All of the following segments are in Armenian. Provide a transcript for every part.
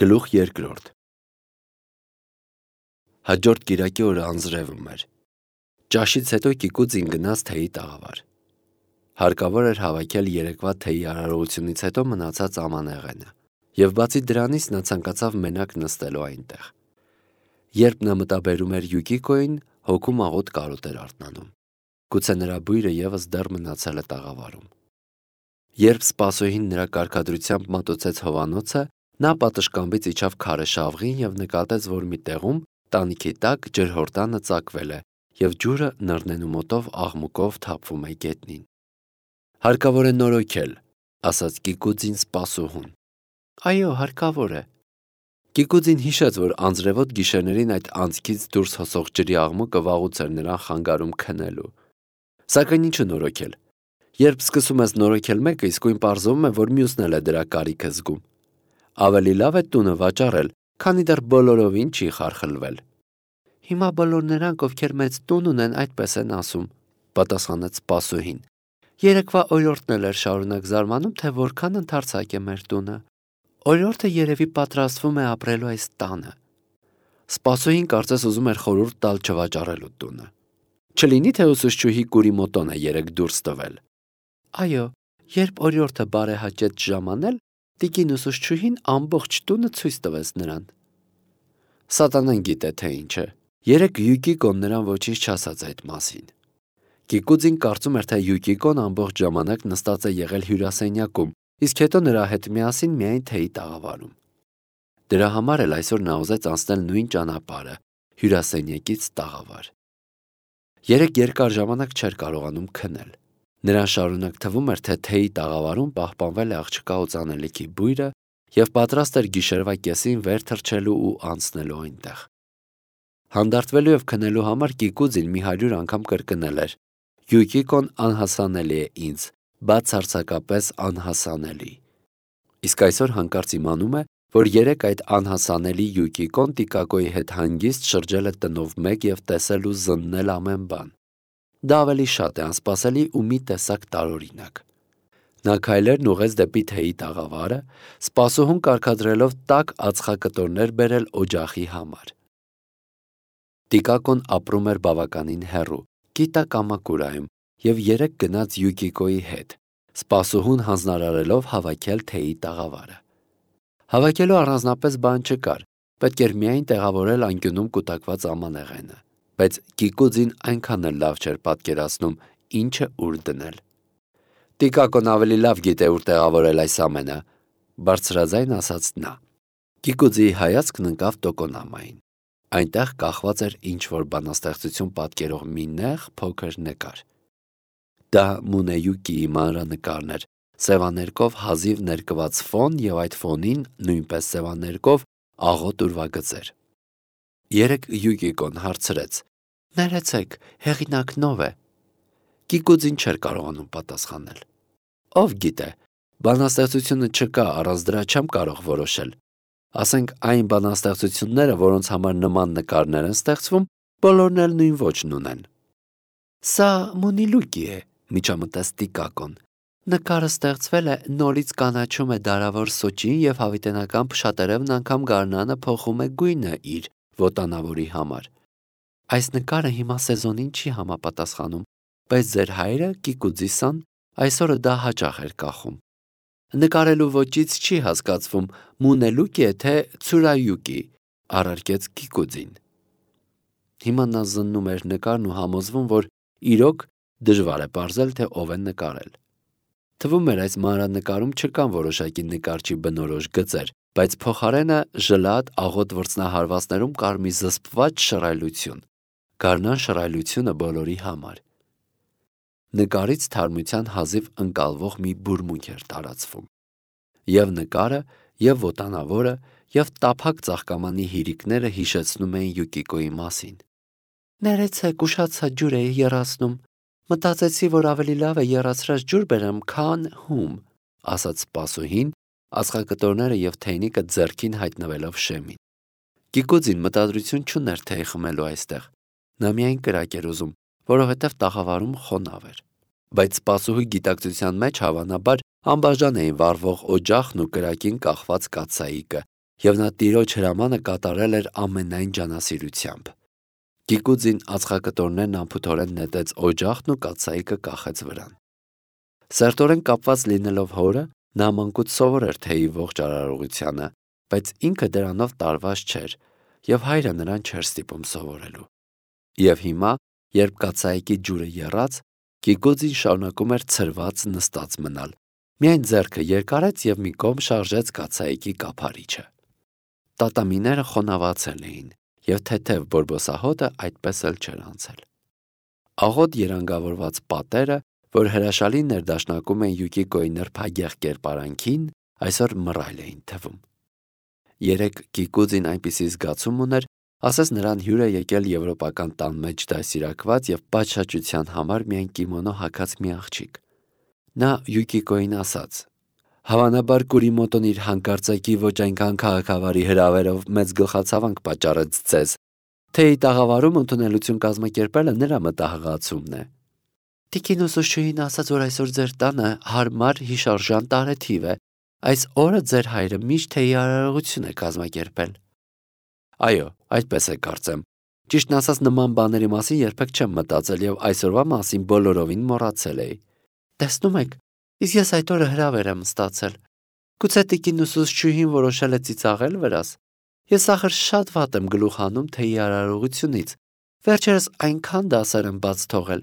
Գլուխ երկրորդ։ Հաջորդ կիրակի օրը անձրևում էր։ Ճաշից հետո Կիկուձին գնաց թեյի տաղավար։ Հարկավոր էր հավաքել երեկվա թեյի արարողությունից հետո մնացած ամանեղենը, և բացի դրանից նա ցանկացավ մենակ նստելու այնտեղ։ Երբ նա մտաբերում էր Յուկիկոյին, հոգում աղոտ կարոտ էր արթնանում։ Գուցե նրա բույրը ևս դեռ մնացել է տաղավարում։ Երբ սպասուհին նրա կարգադրությամբ մատուցեց հովանոցը, նա պատշգամբից իջավ քարե շավղին և նկատեց, որ մի տեղում, տանիքի տակ, ջրհորդանը ծակվել է, և ջուրը նռնենու մոտով աղմուկով թափվում է գետնին։ «Հարկավոր է նորոգել», ասաց Կիկուձին սպասուհուն։ «Այո, հարկավոր է»։ Կիկուձին հիշեց, որ անձրևոտ գիշերներին այդ անցքից դուրս հոսող ջրի աղմուկը վաղուց էր նրան խանգարում քնելու։ Սակայն ինչու նորոգել։ Երբ սկսում ես նորոգել մեկը, իսկույն պարզվում է, որ մյուսն էլ է դրա կարիքը զգում։ Ավելի լավ է տունը վաճառել, քանի դեռ բոլորովին չի խարխլվել։ «Հիմա բոլոր նրանք, ովքեր մեծ տուն ունեն, այդպես են ասում», պատասխանեց սպասուհին։ «Երեկվա օրիորդն էլ էր շարունակ զարմանում, թե որքան ընդարձակ է մեր տունը։ Օրիորդը երևի պատրաստվում է ապրելու այս տանը»։ Սպասուհին կարծես ուզում էր խորհուրդ տալ չվաճառելու տունը։ Չլինի թե ուսուցչուհի Կուրիմոտոն է երեկ դուրս տվել։ Այո, երբ օրիորդը բարեհաճեց ժամանել, տիկին ուսուցչուհին ամբողջ տունը ցույց տվեց նրան։ Սատանան գիտե թե ինչ է։ Երեկ Յուկիկոն նրան ոչինչ չասաց այդ մասին։ Կիկուձին կարծում էր, թե Յուկիկոն ամբողջ ժամանակ նստած է եղել հյուրասենյակում, իսկ հետո նրա հետ միասին միայն թեյի տաղավարում։ Դրա համար էլ այսօր նա ուզեց անցնել նույն ճանապարհը՝ հյուրասենյակից տաղավար։ Երեկ երկար ժամանակ չէր կարողանում քնել։ Նրան շարունակ թվում էր, թե թեյի տաղավարում պահպանվել է աղջկա օծանելիքի բույրը և պատրաստ էր գիշերվա կեսին վեր թռչելու ու անցնելու այնտեղ։ Հանդարտվելու և քնելու համար Կիկուձին մի 100 անգամ կրկնել էր. «Յուկիկոն անհասանելի է ինձ, բացարձակապես անհասանելի»։ Իսկ այսօր հանկարծ իմանում է, որ երեկ այդ անհասանելի Յուկիկոն Տիկակոյի հետ հանգիստ շրջել է տնով մեկ և տեսել ու զննել ամեն բան։ Դա ավելի շատ է անսպասելի ու մի տեսակ տարօրինակ։ Նա քայլերն ուղղեց դեպի թեյի տաղավարը, սպասուհուն կարգադրելով տաք ածխակտորներ բերել օջախի համար։ Տիկակոն ապրում էր բավականին հեռու, Կիտակամակուրայում, և երեկ գնաց Յուկիկոյի հետ, սպասուհուն հանձնարարելով հավաքել թեյի տաղավարը։ Հավաքելու առանձնապես բան չկար, պետք էր միայն տեղավորել անկյունում կուտակված ամանեղենը, բայց Կիկուձին այնքան էլ լավ չէր պատկերացնում ինչը ուր դնել։ Տիկակոն ավելի լավ գիտե ուր տեղավորել այս ամենը, բարձրաձայն ասաց նա։ Կիկուձիի հայացքն ընկավ տոկոնամային։ Այնտեղ կախված էր ինչ-որ բանաստեղծություն պատկերող մի նեղ փոքր նկար։ Դա Մունեյուկիի մանրանկարն էր, սևաներկով հազիվ ներկված ֆոն և այդ ֆոնին նույնպես սևաներկով աղոտ ուրվագծեր։ Երեկ Յուկիկոն հարցրեց. «Ներեցեք, հեղինակն ով է»։ Կիկուձին չէր կարողանում պատասխանել։ Ով գիտե, բանաստեղծությունը չկա, առանց դրա չեմ կարող որոշել։ Ասենք այն բանաստեղծությունները, որոնց համար նման նկարներ են ստեղծվում, բոլորն էլ նույն ոճն ունեն։ Սա Մունիլուկի է, միջամտեց Տիկակոն։ Նկարը ստեղծվել է նորից կանաչում է դարավոր սոճին և հավիտենական փշատերևն անգամ գարնանը փոխում է գույնը իր ոտանավորի համար։ Այս նկարը հիմա սեզոնին չի համապատասխանում, բայց ձեր հայրը Կիկուձիսան այսօրը դա հաճախ էր կախում։ Նկարելու ոճից չի հասկացվում Մունելուկի է թե Ցուրայուկի, առարկեց Կիկուձին։ Հիմա նա զննում էր նկարն ու համոզվում, որ իրոք դժվար է պարզել, թե ով է նկարել։ Թվում էր այս մանրանկարում չկան որոշակի նկարչի բնորոշ գծեր, բայց փոխարենը ժլատ աղոտ վրձնահարվածներում կար մի զսպված շռայլություն, գարնան շռայլությունը բոլորի համար։ Նկարից թարմության հազիվ ընկալվող մի բուրմունք էր տարածվում։ Եվ նկարը, և ոտանավորը, և տափակ ծաղկամանի հիրիկները հիշեցնում էին Յուկիկոյի մասին։ Ներեցեք, ուշացա ջուր էի եռացնում։ Մտածեցի, որ ավելի լավ է եռացրած ջուր բերեմ, քան հում, ասաց սպասուհին, ածխակտորները և թեյնիկը ձեռքին հայտնվելով շեմին։ Կիկուձին մտադրություն չուներ թեյ խմելու այստեղ։ Նա միայն կրակ էր ուզում, որովհետև տաղավարում խոնավ էր։ Բայց սպասուհի գիտակցության մեջ հավանաբար անբաժան էին վառվող օջախն ու կրակին կախված կաթսայիկը, և նա տիրոջ հրամանը կատարել էր ամենայն ջանասիրությամբ։ Գիկուձին ածխակտորներն անփութորեն նետեց օջախն ու կաթսայիկը կախեց վրան։ Սերտորեն կապված լինելով հորը, նա մանկուց սովոր էր թեյի ողջ արարողությանը, բայց ինքը դրանով տարված չէր, և հայրը նրան չէր ստիպում սովորելու։ Եվ հիմա, երբ կաթսայիկի ջուրը եռաց, Գիկուձին շարունակում էր ցրված նստած մնալ, միայն ձեռքը երկարեց և մի կողմ շարժեց կաթսայիկի կափարիչը։ Տատամիները խոնավացել էին, և թեթև բորբոսահոտը այդպես էլ չէր անցել։ Աղոտ երանգավորված պատերը, որ հրաշալի ներդաշնակում էին Յուկիկոյի նրբագեղ կերպարանքին, այսօր մռայլ էին թվում։ Երեկ Գիկուձին այնպիսի զգացում ուներ, ասես նրան հյուր է եկել եվրոպական տան մեջ դաստիարակված և պատշաճության համար միայն կիմոնո հագած մի աղջիկ։ Նա Յուկիկոյին ասաց. «Հավանաբար Կուրիմոտոն իր հանկարծակի ոչ այնքան քաղաքավարի հրավերով մեծ գլխացավանք պատճառեց ձեզ, թե ի տաղավարում ընդունելություն կազմակերպելը նրա մտահղացումն է։ Տիկին ուսուցչուհին ասաց, որ այսօր ձեր տանը հարմար հիշարժան տարեթիվ է, այս օրը ձեր հայրը միշտ թեյի արարողություն է կազմակերպել»։ Այո, այդպես է կարծեմ։ Ճիշտն ասած, նման բաների մասին երբեք չեմ մտածել և այսօրվա մասին բոլորովին մոռացել էի։ Տեսնում եք, իսկ ես այդ օրը հրավեր եմ ստացել։ Գուցե տիկին ուսուցչուհին որոշել է ծիծաղել վրաս։ Ես ախր շատ վատ եմ գլուխ հանում թեյի արարողությունից։ Վերջերս այնքան դասեր եմ բաց թողել։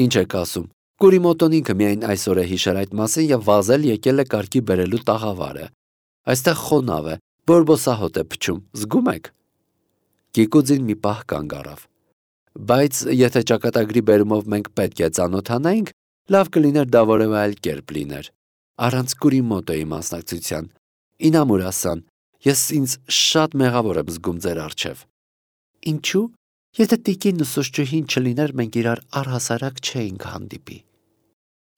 Ինչ եք ասում։ Կուրիմոտոն ինքը միայն այսօր է հիշել այդ մասին և վազել եկել է կարգի բերելու տաղավարը։ Այստեղ խոնավ է, բորբոսահոտ է փչում, զգում եք։ Գիկուձին մի պահ կանգ առավ։ Բայց եթե ճակատագրի բերումով մենք պետք է ծանոթանայինք, լավ կլիներ դա որևէ այլ կերպ լիներ։ Առանց Կուրիմոտոյի մասնակցության։ Ինամուրասան, ես ինձ շատ մեղավոր եմ զգում ձեր առջև։ Ինչու՞։ Եթե տիկին ուսուցչուհին չլիներ, մենք իրար առհասարակ չէինք հանդիպի։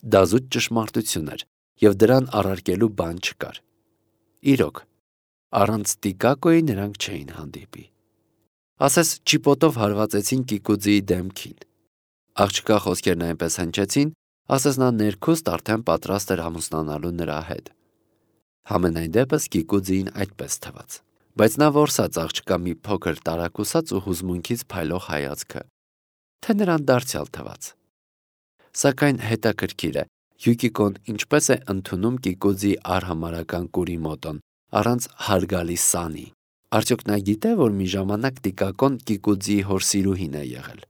Դա զուտ ճշմարտություն էր, և դրան առարկելու բան չկար։ Իրոք, առանց Տիկակոյի նրանք չէին հանդիպի։ Ասես ճիպոտով հարվածեցին Գիկուձիի դեմքին։ Աղջկա խոսքերն այնպես հնչեցին, ասես նա ներքուստ արդեն պատրաստ էր ամուսնանալու նրա հետ։ Համենայն դեպս Գիկուձիին այդպես թվաց։ Բայց նա որսաց աղջկա մի փոքր տարակուսած ու հուզմունքից փայլող հայացքը, թե նրան դարձյալ թվաց։ Սակայն հետաքրքիր է, Յուկիկոն ինչպես է ընդունում Գիկուձիի արհամարհական Կուրիմոտոն, առանց հարգալի սանի։ Արդյոք նա գիտե, որ մի ժամանակ Տիկակոն Գիկուձիի հոր սիրուհին է եղել։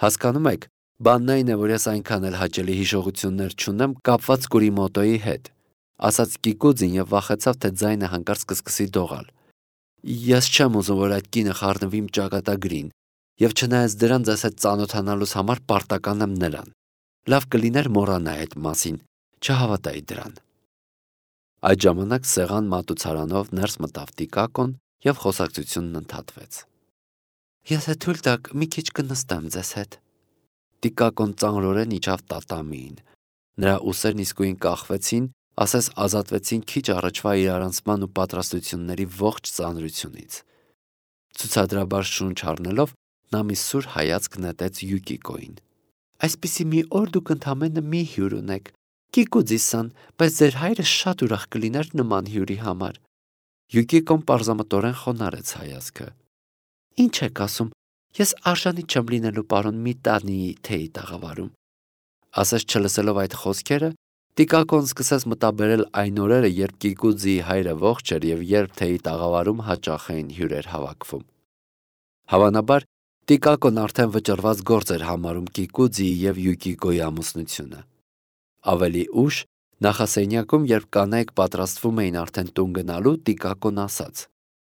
Հասկանում եք, բանն այն է, որ ես այնքան էլ հաճելի հիշողություններ չունեմ կապված Կուրիմոտոյի հետ, ասաց Գիկուձին և վախեցավ, թե ձայնը հանկարծ կսկսի դողալ։ Ես չեմ ուզում, որ այդ կինը խառնվի իմ ճակատագրին, և չնայած դրան ձեզ հետ ծանոթանալուս համար պարտական եմ նրան։ Լավ կլիներ մոռանայի այդ մասին, չհավատայի դրան։ Այդ ժամանակ սեղան մատուցարանով ներս մտավ Տիկակոն և խոսակցությունն ընդհատվեց։ Եթե թույլ տաք, մի քիչ կնստեմ ձեզ հետ։ Տիկակոն ծանրորեն իջավ տատամիին։ Նրա ուսերն իսկույն կախվեցին, ասես ազատվեցին քիչ առաջվա իրարանցման ու պատրաստությունների ողջ ծանրությունից։ Ցուցադրաբար շունչ առնելով, նա մի սուր հայացք նետեց Յուկիկոյին։ Այսպիսի մի օր դուք ընդամենը մի հյուր ունեք, Գիկուձի-սան, բայց ձեր հայրը շատ ուրախ կլիներ նման հյուրի համար։ Յուկիկոն պարզամտորեն խոնարհեց հայացքը։ Ինչ եք ասում, ես արժանի չեմ լինելու պարոն Միտանիի թեյի տաղավարում։ Ասես չլսելով այդ խոսքերը, Տիկակոն սկսեց մտաբերել այն օրերը, երբ Գիկուձիի հայրը ողջ էր և երբ թեյի տաղավարում հաճախ էին հյուրեր հավաքվում։ Հավանաբար, Տիկակոն արդեն վճռված գործ էր համարում Գիկուձիի և Յուկիկոյի ամուսնությունը։ Ավելի ուշ, նախասենյակում, երբ կանայք պատրաստվում էին արդեն տուն գնալու, Տիկակոն ասաց.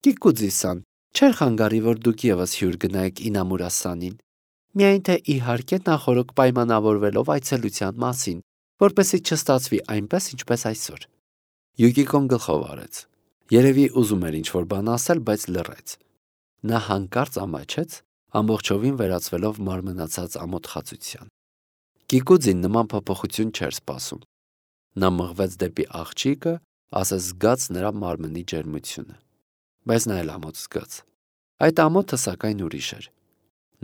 Գիկուձի-սան, չէր խանգարի, որ դուք ևս հյուր գնայիք Ինամուրասանին։ Միայն թե իհարկե նախօրոք պայմանավորվելով այցելության մասին, որպեսզի չստացվի այնպես, ինչպես այսօր։ Յուկիկոն գլխով արեց։ Երևի ուզում էր ինչ-որ բան ասել, բայց լռեց։ Նա հանկարծ ամաչեց, ամբողջովին վերածվելով մարմնացած ամոթխածության։ Գիկուձին նման փոփոխություն չէր սպասում։ Նա մղվեց դեպի աղջիկը, ասես զգաց նրա մարմնի ջերմությունը։ Բայց նա էլ ամոթ զգաց։ Այդ ամոթը սակայն ուրիշ էր։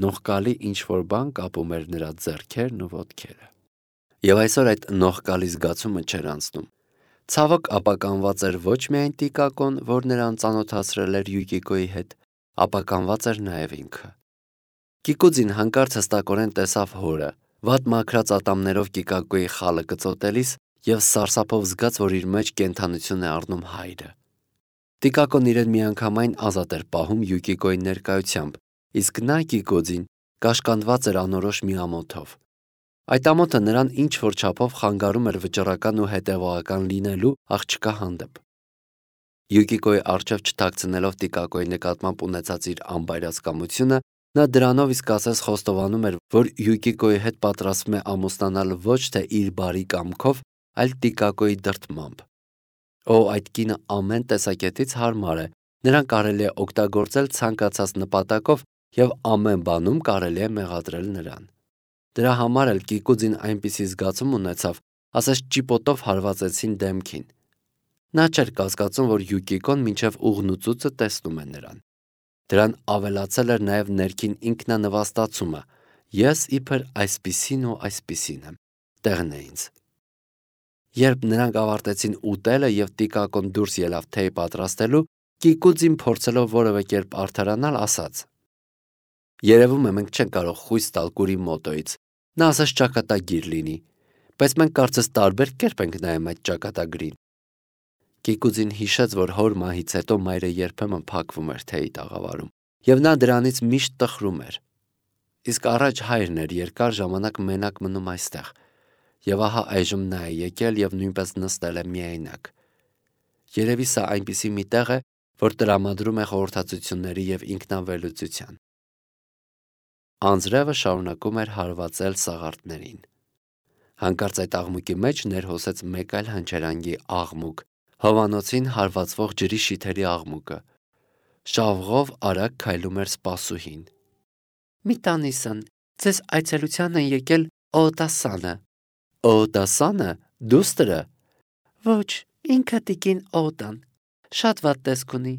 Նողկալի ինչ-որ բան կապում էր նրա ձեռքերն ու ոտքերը։ Եվ այսօր այդ նողկալի զգացումը չէր անցնում։ Ցավոք ապականված էր ոչ միայն Տիկակոն, որ նրան ծանոթացրել էր Յուկիկոյի հետ, ապականված էր նաև ինքը։ Կիկուձին հանկարծ հստակորեն տեսավ հորը, վատ մաքրած ատամներով Կիկակոյի խալը կծոտելիս և սարսափով զգաց, որ իր մեջ կենդանություն է առնում հայրը։ Տիկակոն իրեն միանգամայն ազատ էր պահում Յուկիկոյի ներկայությամբ, իսկ նա Կիկուձին կաշկանդված էր անորոշ մի ամոթով։ Այդ ամոթը նրան ինչ-որ չափով խանգարում էր վճռական ու հետևողական լինելու աղջկա հանդեպ։ Յուկիկոյի առջև չթաքցնելով Տիկակոյի նկատմամբ ունեցած իր անբայրացկամությունը, նա դրանով իսկ ասես խոստովանում էր, որ Յուկիկոյի հետ պատրաստվում է ամուսնանալ ոչ թե իր բարի կամքով, այլ Տիկակոյի դրդմամբ։ Այդ կինը ամեն տեսակետից հարմար է, նրան կարելի է օգտագործել ցանկացած նպատակով և ամեն բանում կարելի է մեղադրել նրան։ Դրա համար էլ Կիկուձին այնպիսի զգացում ունեցավ, ասես ճիպոտով հարվածեցին դեմքին։ Նա չէր կասկածում, որ Յուկիկոն մինչև ուղնուծուցը տեսնում է նրան։ Դրան ավելացել էր նաև ներքին ինքնանվաստացումը. ես իբր այսպիսին ու այսպիսին եմ, տեղն է ինձ։ Երբ նրանք ավարտեցին ուտելը և Տիկակոն դուրս ելավ թեյ պատրաստելու, Կիկուձին փորձելով որևէ կերպ արդարանալ, ասաց. երևում է մենք չենք կարող խույս տալ Կուրի մոտոյից, նա ասես ճակատագիր լինի, բայց մենք կարծես տարբեր կերպ ենք նայում այդ ճակատագրին։ Կիկուձին հիշեց, որ հոր մահից հետո մայրը երբեմն փակվում էր թեյի տաղավարում, և նա դրանից միշտ տխրում էր։ Իսկ առաջ հայրն էր երկար ժամանակ մենակ մնում այստեղ, և ահա այժմ նա է եկել և նույնպես նստել է միայնակ։ Երևի սա այնպիսի մի տեղ է, որ տրամադրում է խորհրդածությունների և ինքնավերլուծության։ Անձրևը շարունակում էր հարվածել սաղարթներին։ Հանկարծ այդ աղմուկի մեջ ներհոսեց մեկ այլ հնչերանգի աղմուկ, հովանոցին հարվածվող ջրի շիթերի աղմուկը։ Շավղով արագ քայլում էր սպասուհին։ «Մի տանիսն, ձեզ այցելության են եկել Օտասանը»։ Օտասանը, դուստրը։ Ոչ, ինքը տիկին Օտան, շատ վատ տեսք ունի,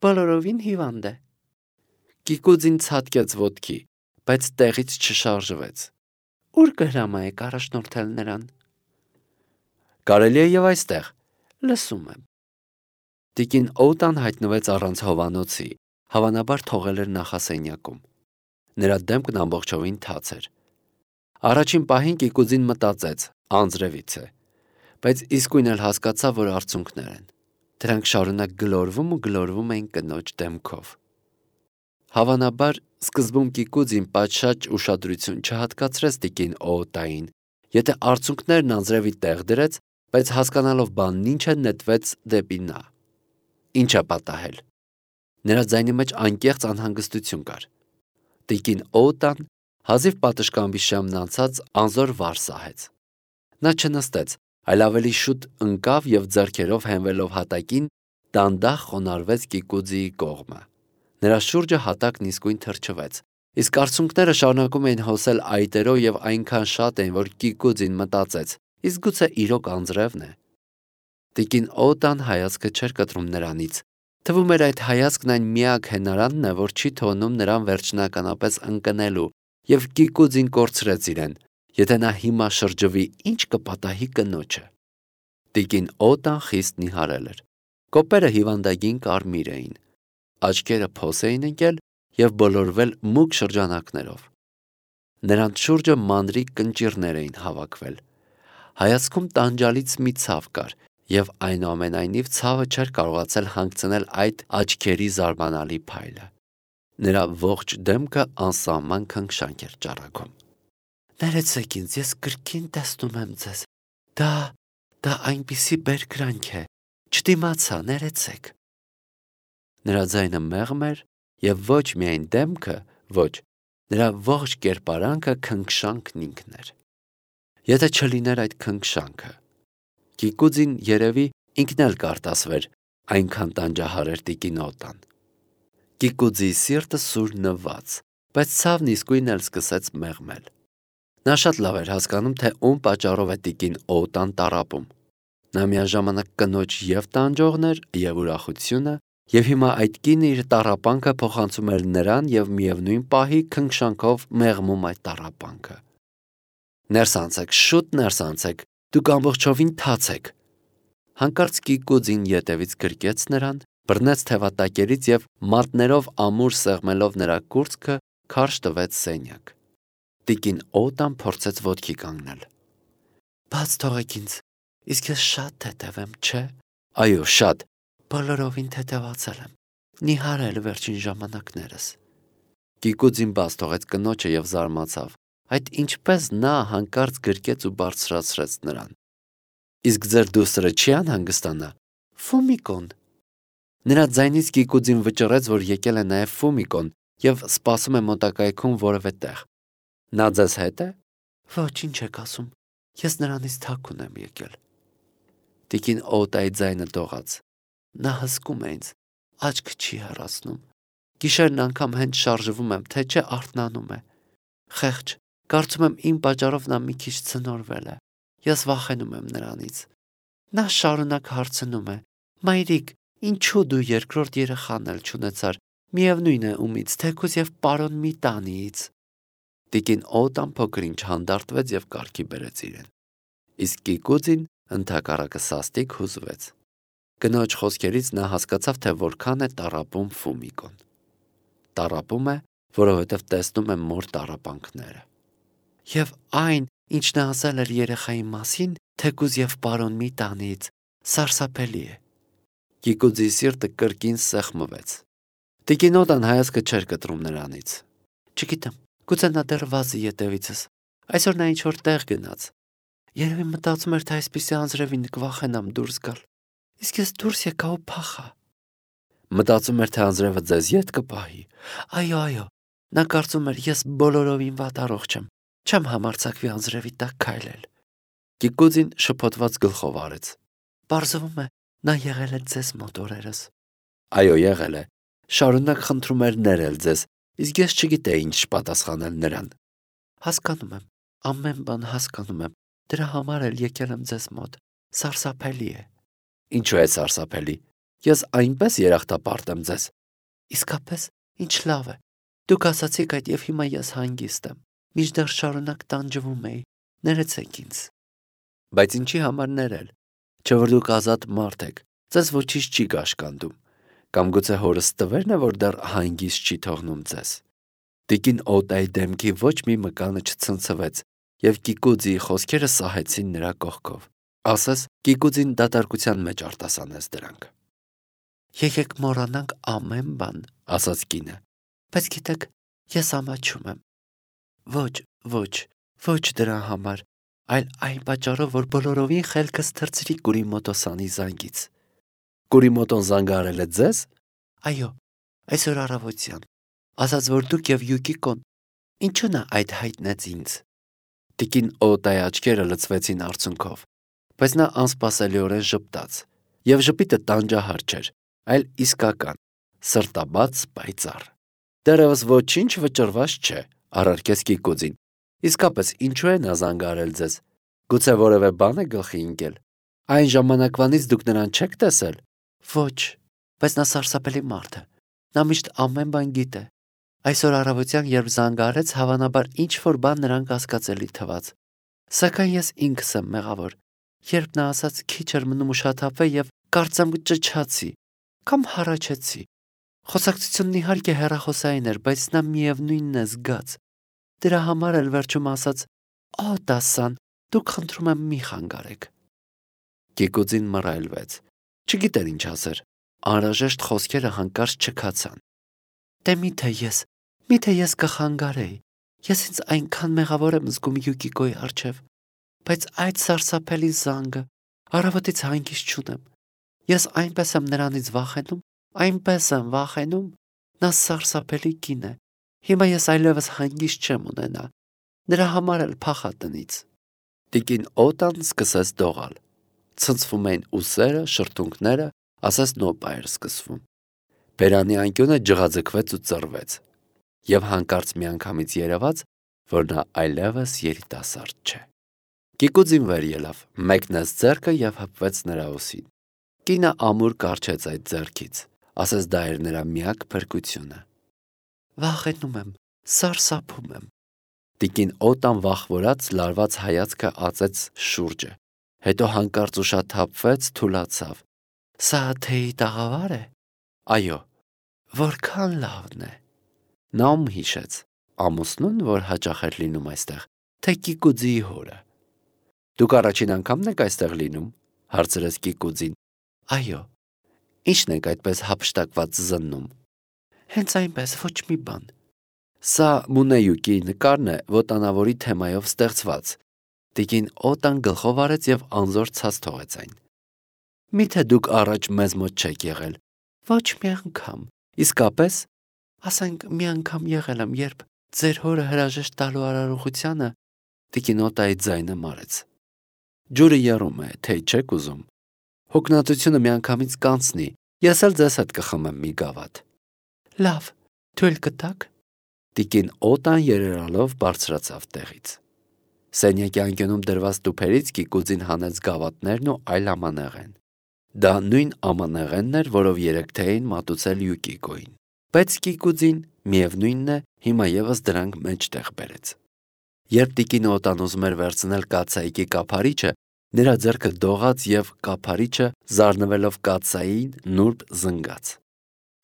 բոլորովին հիվանդ է։ Կիկուձին ցատկեց ոտքի, բայց տեղից չշարժվեց։ Ուր կհրամայեք առաջնորդել նրան։ Կարելի է և այստեղ, լսում եմ։ Տիկին Օտան հայտնվեց առանց հովանոցի, հավանաբար թողել էր նախասենյակում։ Նրա դեմքն ամբողջովին թաց էր։ Առաջին պահին Կիկուձին մտածեց, անձրևից է, բայց իսկույն էլ հասկացավ, որ արցունքներ են։ Դրանք շարունակ գլորվում ու գլորվում էին կնոջ դեմքով։ Հավանաբար սկզբում Կիկուձին պատշաճ ուշադրություն չհատկացրեց տիկին Օտային, եթե արցունքներն անձրևի տեղ դրեց, բայց հասկանալով բանն ինչ է, նետվեց դեպի նա։ Ինչ է պատահել։ Նրա ձայնի մեջ անկեղծ անհանգստություն կար։ Տիկին Օտան հազիվ պատշգամբի շեմն անցած անզոր վար սահեց։ Նա չնստեց, այլ ավելի շուտ ընկավ և ձեռքերով հենվելով հատակին, դանդաղ խոնարհվեց Կիկուձիի կողմը։ Նրա շուրջը հատակն իսկույն թրջվեց, իսկ արցունքները շարունակում էին հոսել այտերով և այնքան շատ էին, որ Կիկուձին մտածեց. իսկ գուցե իրոք անձրևն է։ Տիկին Օտան հայացքը չէր կտրում նրանից։ Թվում էր այդ հայացքն այն միակ հենարանն է, որ չի թողնում նրան վերջնականապես ընկնելու, և Կիկուձին կորցրեց իրեն, եթե նա հիմա շրջվի, ինչ կպատահի կնոջը։ Տիկին Օտան խիստ նիհարել էր։ Կոպերը հիվանդագին կարմիր էին։ Աչքերը փոս էին ընկել և բոլորվել մուգ շրջանակներով։ Նրանց շուրջը մանրիկ կնճիռներ էին հավաքվել։ Հայացքում տանջալից մի ցավ կար, և այնուամենայնիվ ցավը չէր կարողացել հանգցնել այդ աչքերի զարմանալի փայլը։ Նրա ողջ դեմքը անսահման քնքշանք էր ճառագում։ Ներեցեք ինձ, ես կրկին տեսնում եմ ձեզ։ Դա այնպիսի բերկրանք է։ Չդիմացա, ներեցեք։ Նրա ձայնը մեղմ էր, և ոչ միայն դեմքը, ոչ, նրա ողջ կերպարանքը քնքշանքն ինքն էր։ Եթե չլիներ այդ քնքշանքը։ Կիկուձին երևի ինքն էլ կարտասվեր, այնքան տանջահար էր տիկին Օտան։ Կիկուձիի սիրտը սուր նվաց, բայց ցավն իսկույն էլ սկսեց մեղմել։ Նա շատ լավ էր հասկանում, թե ում պատճառով է տիկին Օտան տառապում։ Նա միաժամանակ կնոջ և տանջողն էր, և ուրախությունը, և հիմա այդ կինը իր տառապանքը փոխանցում էր նրան և միևնույն պահի քնքշանքով մեղմում այդ տառապանքը։ Ներս անցեք, շուտ ներս անցեք, դուք ամբողջովին թաց եք։ Հանկարծ Կիկուձին ետևից գրկեց նրան, բռնեց թևատակերից և մատներով ամուր սեղմելով նրա կուրծքը քարշ տվեց սենյակ։ Տիկին Օտան փորձեց ոտքի կանգնել։ Բաց թողեք ինձ, իսկ ես շատ թեթև եմ, չէ։ Այո, շատ։ Բոլորովին թեթևացել եմ։ Նիհարել վերջին ժամանակներս։ Կիկուձին բաց թողեց կնոջը և զարմացավ։ Այդ ինչպես նա հանկարծ գրկեց ու բարձրացրեց նրան։ Իսկ ձեր դուստրը չի անհանգստանա։ Ֆումիկոն։ Նրա ձայնից Կիկուձին վճռեց, որ եկել է նաև Ֆումիկոն և սպասում է մոտակայքում որևէ տեղ։ Նա ձեզ հետ է։ Ոչ, ինչ եք ասում։ Ես նրանից թաքուն եմ եկել։ Տիկին Օտայի ձայնը դողաց։ Նա հսկում է ինձ, աչք չի հեռացնում։ Գիշերն անգամ հենց շարժվում եմ, թե չէ արթնանում է։ Խեղճ, կարծում եմ իմ պատճառով նա մի քիչ ցնորվել է։ Ես վախենում եմ նրանից։ Նա շարունակ հարցնում է. Մայրիկ, ինչու դու երկրորդ երեխան էլ չունեցար, միևնույն է ումից, թեկուզ և պարոն մի տանիից։ Տիկին Օտան փոքր-ինչ հանդարտվեց և կարգի բերեց իրեն։ Իսկ Կիկուձին ընդհակառակը սաստիկ հուզվեց։ Կնոջ խոսքերից նա հասկացավ, թե որքան է տառապում Ֆումիկոն։ Տառապում է, որովհետև տեսնում է մոր տառապանքները։ Եվ այն, ինչ նա ասել էր երեխայի մասին, թեկուզ և պարոն մի տանիից, սարսափելի է։ Կիկուձի սիրտը կրկին սեղմվեց։ Տիկին Օտան հայացքը չէր կտրում նրանից։ Չգիտեմ, գուցե նա դեռ վազի ետևիցս։ Այսօր նա ինչ-որ տեղ գնաց։ Երևի մտածում էր, թե այսպիսի անձրևին կվախենամ դուրս գալ։ Իսկ ես դուրս եկա ու փախա։ Մտածում էր, թե անձրևը ձեզ ետ կպահի։ Այո, նա կարծում էր, ես բոլորովին վատ առողջ եմ։ Չեմ համարձակվի անձրևի տակ քայլել։ Կիկուձին շփոթված գլխով արեց։ Պարզվում է, նա եղել է ձեզ մոտ օրերս։ Այո, եղել է։ Շարունակ խնդրում էր ներել ձեզ, իսկ ես չգիտեի ինչ պատասխանել նրան։ Հասկանում եմ, ամեն բան հասկանում եմ։ Դրա համար էլ եկել եմ ձեզ մոտ։ Սարսափելի է։ Ինչու է սարսափելի։ Ես այնպես երախտապարտ եմ ձեզ։ Իսկապես, ինչ լավ է։ Դուք ասացիք այդ և հիմա ես հանգիստ եմ։ Մինչդեռ շարունակ տանջվում էի։ Ներեցեք ինձ։ Բայց ինչի համար ներել։ Չէ՞ որ դուք ազատ մարդ եք։ Ձեզ ոչինչ չի կաշկանդում։ Կամ գուցե հորս տվերն է, որ դեռ հանգիստ չի թողնում ձեզ։ Տիկին Օտայի դեմքի ոչ մի մկանը չցնցվեց, և Կիկուձիի խոսքերը սահեցին նրա կողքով։ Ասես Կիկուձին դատարկության մեջ արտասանեց դրանք։ Եկեք մոռանանք ամեն բան, ասաց կինը։ Բայց գիտեք, ես ամաչում եմ։ Ոչ դրա համար, այլ այն պատճառով, որ բոլորովին խելքս թռցրի Կուրիմոտոսանի զանգից։ Կուրիմոտոն զանգահարել է ձեզ։ Այո, այսօր առավոտյան։ Ասաց, որ դուք և Յուկիկոն, ինչու նա այդ հայտնեց ինձ։ Տիկին Օտայի աչքերը լցվեցին արցունքով, բայց նա անսպասելիորեն ժպտաց, և ժպիտը տանջահար չէր, այլ իսկական, սրտաբաց պայծառ։ Դեռևս ոչինչ վճռված չէ, առարկեց Կիկուձին։ Իսկապես, ինչու է նա զանգահարել ձեզ։ Գուցե որևէ բան է գլխի ընկել։ Այն ժամանակվանից դուք նրան չեք տեսել։ Ոչ, բայց նա սարսափելի մարդ է։ Նա միշտ ամեն բան գիտե։ Այսօր առավոտյան, երբ զանգահարեց, հավանաբար ինչ-որ բան նրան կասկածելի թվաց։ Սակայն ես ինքս եմ մեղավոր։ Երբ նա ասաց քիչ էր մնում ուշաթափվե և կարծեմ ճչացի կամ հառաչեցի։ Խոսակցությունն իհարկե հեռախոսային էր, բայց նա միևնույնն է զգաց։ Դրա համար էլ վերջում ասաց. «Օ, դասան, դուք խնդրում եմ մի խանգարեք»։ Կիկուձին մռայլվեց։ Չգիտեր ինչ ասեր։ Անհրաժեշտ խոսքերը հանկարծ չքացան։ Դե միթե ես կխանգարեի։ Ես ինձ այնքան մեղավոր եմ զգում Յուկիկոյի առջև, բայց այդ սարսափելի զանգը, առավոտից հանգիստ չունեմ։ Ես այնպես եմ նրանից վախենում։ Նա սարսափելի կին է։ Հիմա ես այլևս հանգիստ չեմ ունենա։ Նրա համար էլ փախա տնից։ Տիկին Օտան սկսեց դողալ։ Ցնցվում էին ուսերը, շրթունքները, ասես նոպա էր սկսվում։ Բերանի անկյունը ջղաձգվեց ու ծռվեց։ Եվ հանկարծ միանգամից երևաց, որ նա այլևս երիտասարդ չէ։ Կիկուձին վեր ելավ, մեկնեց ձեռքը և հպվեց նրա ուսին։ Կինը ամուր կառչեց այդ ձեռքից, ասես դա էր նրա միակ փրկությունը։ Վախենում եմ, սարսափում եմ։ Տիկին Օտան վախվորած լարված հայացքը ածեց շուրջը, Հետո հանկարծ ուշաթափվեց, թուլացավ։ Սա թեյի տաղավար է։ Այո, որքան լավն է։ Նա ում հիշեց, ամուսնուն, որ հաճախ էր լինում այստեղ, թե Կիկուձիի հորը։ Դուք առաջին անգամն եք այստեղ լինում, հարցրեց Կիկուձին։ Այո, ի՞նչն եք այդպես հափշտակված զննում։ Հենց այնպես, ոչ մի բան։ Սա Մունեյուկիի նկարն է ոտանավորի թեմայով ստեղծված։ Տիկին Օտան գլխով արեց եւ անզոր ցած թողեց այն։ Միթե դուք առաջ մեզ մոտ չեք եղել։ Ոչ մի անգամ։ Իսկապես, ասենք մի անգամ եղել եմ, երբ ձեր հորը հրաժեշտ տալու արարողությանը տիկին Օտայի ձայնը մարեց։ Ջուրը եռում է, թե չեք ուզում։ Հոգնածությունը միանգամից կանցնի, ես էլ ձեզ հետ կխմեմ մի գավաթ։ Լավ, թույլ կտաք։ Տիկին Օտան երերալով բարձրացավ տեղից։ Սենյակի անկյունում դրված տուփերից Կիկուձին հանեց գավաթներն ու այլ ամանեղեն։ Դա նույն ամանեղենն էր, որով երեկ թե էին մատուցել Յուկիկոին։ Բայց Կիկուձին միևնույնն է, հիմա եւս դրանք մեջտեղ բերեց։ Երբ տիկին Օտան ուզում էր վերցնել կաթսայիկի կափարիչը, նրա ձեռքը դողաց եւ կափարիչը զարնվելով կաթսային նուրբ զնգաց։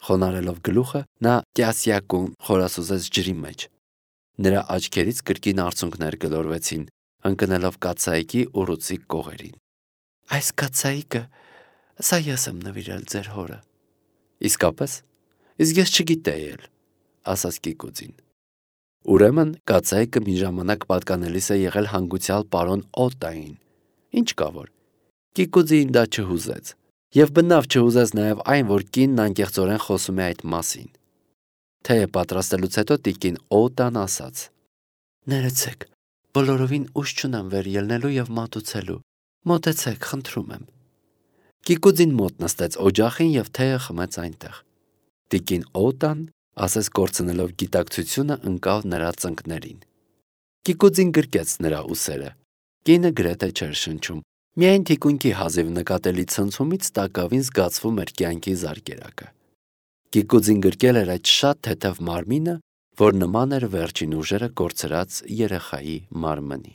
Խոնարելով գլուխը, նա կյասյակում խորասուզեց ջրի մեջ։ Նրա աչքերից կրկին արցունքներ գլորվեցին, ընկնելով կաթսայիկի ուռուցիկ կողերին։ Այս կաթսայիկը, սա ես եմ նվիրել ձեր հորը։ Իսկապես, իսկ ես չգիտեի էլ, ասաց Կիկուձին։ Ուրեմն կաթսայիկը մի ժամանակ պատկանելիս է եղել հանգուցյալ պարոն Օտային։ Ինչ կա որ։ Կիկուձին դա չհուզեց, եւ բնավ չհուզեց նաեւ այն, որ կինն անկեղծորեն խոսում է այդ մասին։ Թեյը պատրաստելուց հետո տիկին Օտան ասաց. Ներեցեք, բոլորովին ուշ չունեմ վեր ելնելու եւ մատուցելու։ Մոտեցեք, խնդրում եմ։ Կիկուձին մոտ նստեց օջախին եւ թեյը խմեց այնտեղ։ Տիկին Օտան, ասես կորցնելով գիտակցությունը, ընկավ նրա ծնկներին։ Կիկուձին գրկեց նրա ուսերը։ Կինը գրեթե չէր շնչում։ Միայն թիկունքի հազիվ նկատելի ցնցումից տակավին զգացվում էր կյանքի զարկերակը։ Կիկուձին գրկել էր այդ շատ թեթև մարմինը, որ նման էր վերջին ուժերը կորցրած երեխայի մարմնի։